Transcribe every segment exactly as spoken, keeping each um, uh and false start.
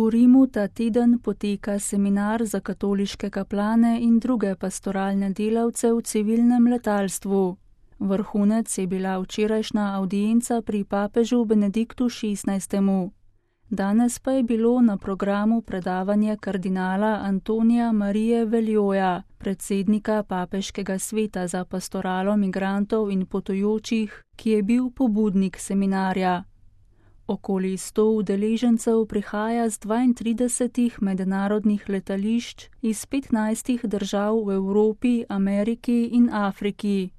V Rimu ta teden poteka seminar za katoliške kaplane in druge pastoralne delavce v civilnem letalstvu. Vrhunec je bila včerajšnja avdienca pri papežu Benediktu šestnajstemu. Danes pa je bilo na programu predavanje kardinala Antonija Marije Veljoja, predsednika papeškega sveta za pastoralo migrantov in potujočih, ki je bil pobudnik seminarja. Okoli sto udeležencev prihaja z dvaintridesetih mednarodnih letališč iz petnajstih držav v Evropi, Ameriki in Afriki.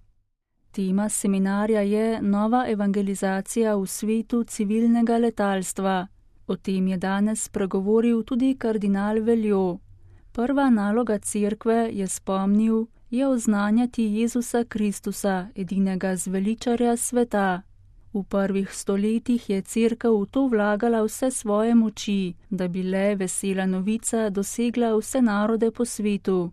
Tema seminarja je nova evangelizacija v svetu civilnega letalstva. O tem je danes spregovoril tudi kardinal Veljo. Prva naloga cerkve, je spomnil, je oznanjati Jezusa Kristusa, edinega zveličarja sveta. V prvih stoletjih je cerkev v to vlagala vse svoje moči, da bi le vesela novica dosegla vse narode po svetu.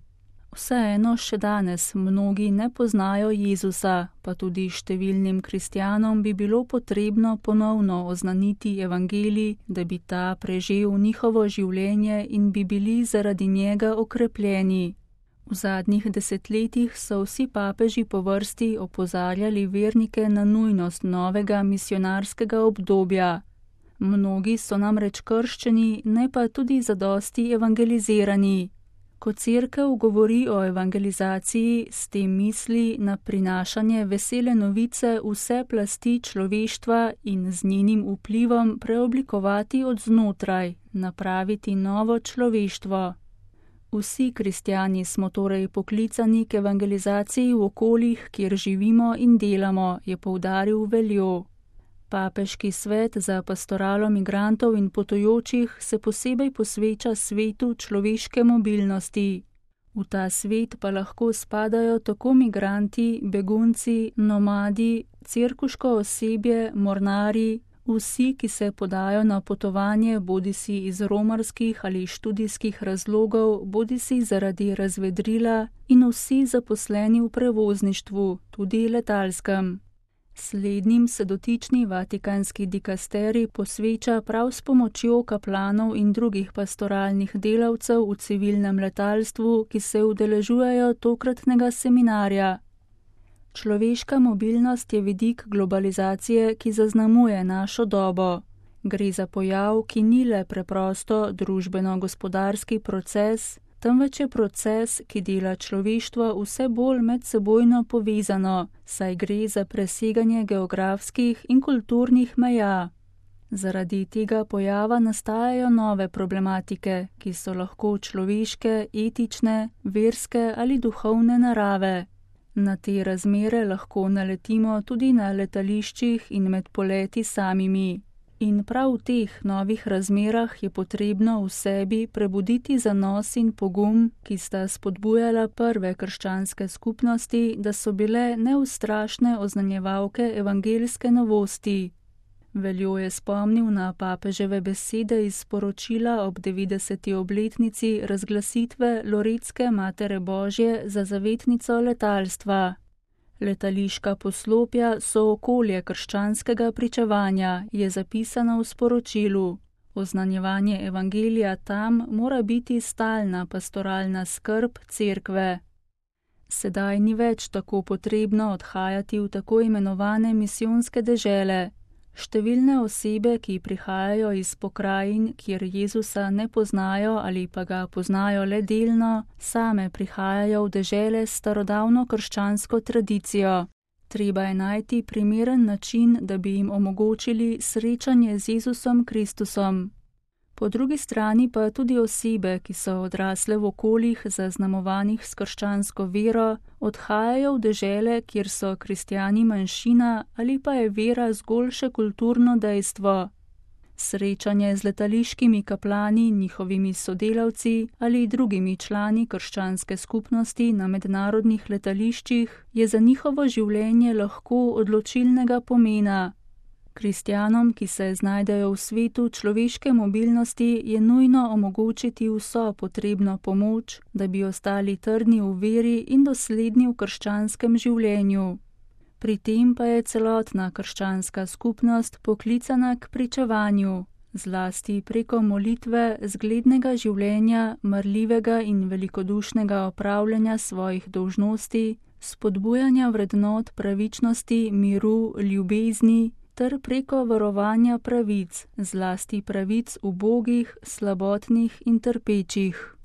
Vseeno še danes mnogi ne poznajo Jezusa, pa tudi številnim kristjanom bi bilo potrebno ponovno oznaniti evangelij, da bi ta prežel njihovo življenje in bi bili zaradi njega okrepljeni. V zadnjih desetletjih so vsi papeži po vrsti opozarjali vernike na nujnost novega misionarskega obdobja. Mnogi so namreč krščeni, ne pa tudi zadosti evangelizirani. Ko cerkev govori o evangelizaciji, s tem misli na prinašanje vesele novice vse plasti človeštva in z njenim vplivom preoblikovati od znotraj, napraviti novo človeštvo. Vsi kristjani smo torej poklicani k evangelizaciji v okoljih, kjer živimo in delamo, je poudaril Veljo. Papeški svet za pastoralo migrantov in potujočih se posebej posveča svetu človeške mobilnosti. V ta svet pa lahko spadajo tako migranti, begunci, nomadi, cerkuško osebje, mornari, vsi, ki se podajo na potovanje bodisi iz romarskih ali študijskih razlogov, bodisi zaradi razvedrila in vsi zaposleni v prevozništvu, tudi letalskem. Slednjim se dotični vatikanski dikasterij posveča prav s pomočjo kaplanov in drugih pastoralnih delavcev v civilnem letalstvu, ki se udeležujejo tokratnega seminarja. Človeška mobilnost je vidik globalizacije, ki zaznamuje našo dobo. Gre za pojav, ki ni le preprosto družbeno-gospodarski proces, temveč je proces, ki dela človeštvo vse bolj medsebojno povezano, saj gre za preseganje geografskih in kulturnih meja. Zaradi tega pojava nastajajo nove problematike, ki so lahko človeške, etične, verske ali duhovne narave. Na te razmere lahko naletimo tudi na letališčih in med poleti samimi. In prav v teh novih razmerah je potrebno v sebi prebuditi zanos in pogum, ki sta spodbujala prve krščanske skupnosti, da so bile neustrašne oznanjevalke evangeljske novosti. Veljo je spomnil na papeževe besede iz sporočila ob devetdeseti obletnici razglasitve Loretske Matere Božje za zavetnico letalstva. Letališka poslopja so okolje krščanskega pričevanja, je zapisano v sporočilu. Oznanjevanje evangelija tam mora biti stalna pastoralna skrb cerkve. Sedaj ni več tako potrebno odhajati v tako imenovane misijonske dežele. Številne osebe, ki prihajajo iz pokrajin, kjer Jezusa ne poznajo ali pa ga poznajo le delno, same prihajajo v dežele s starodavno krščansko tradicijo. Treba je najti primeren način, da bi jim omogočili srečanje z Jezusom Kristusom. Po drugi strani pa tudi osebe, ki so odrasle v okoljih zaznamovanih s krščansko vero, odhajajo v dežele, kjer so kristjani manjšina ali pa je vera zgolj še kulturno dejstvo. Srečanje z letališkimi kaplani, njihovimi sodelavci ali drugimi člani krščanske skupnosti na mednarodnih letališčih je za njihovo življenje lahko odločilnega pomena. Kristjanom, ki se znajdejo v svetu človeške mobilnosti, je nujno omogočiti vso potrebno pomoč, da bi ostali trdni v veri in dosledni v krščanskem življenju. Pri tem pa je celotna krščanska skupnost poklicana k pričevanju. zlasti preko molitve, zglednega življenja, marljivega in velikodušnega opravljanja svojih dolžnosti, spodbujanja vrednot pravičnosti, miru, ljubezni ter preko varovanja pravic, zlasti pravic ubogih, slabotnih in trpečih.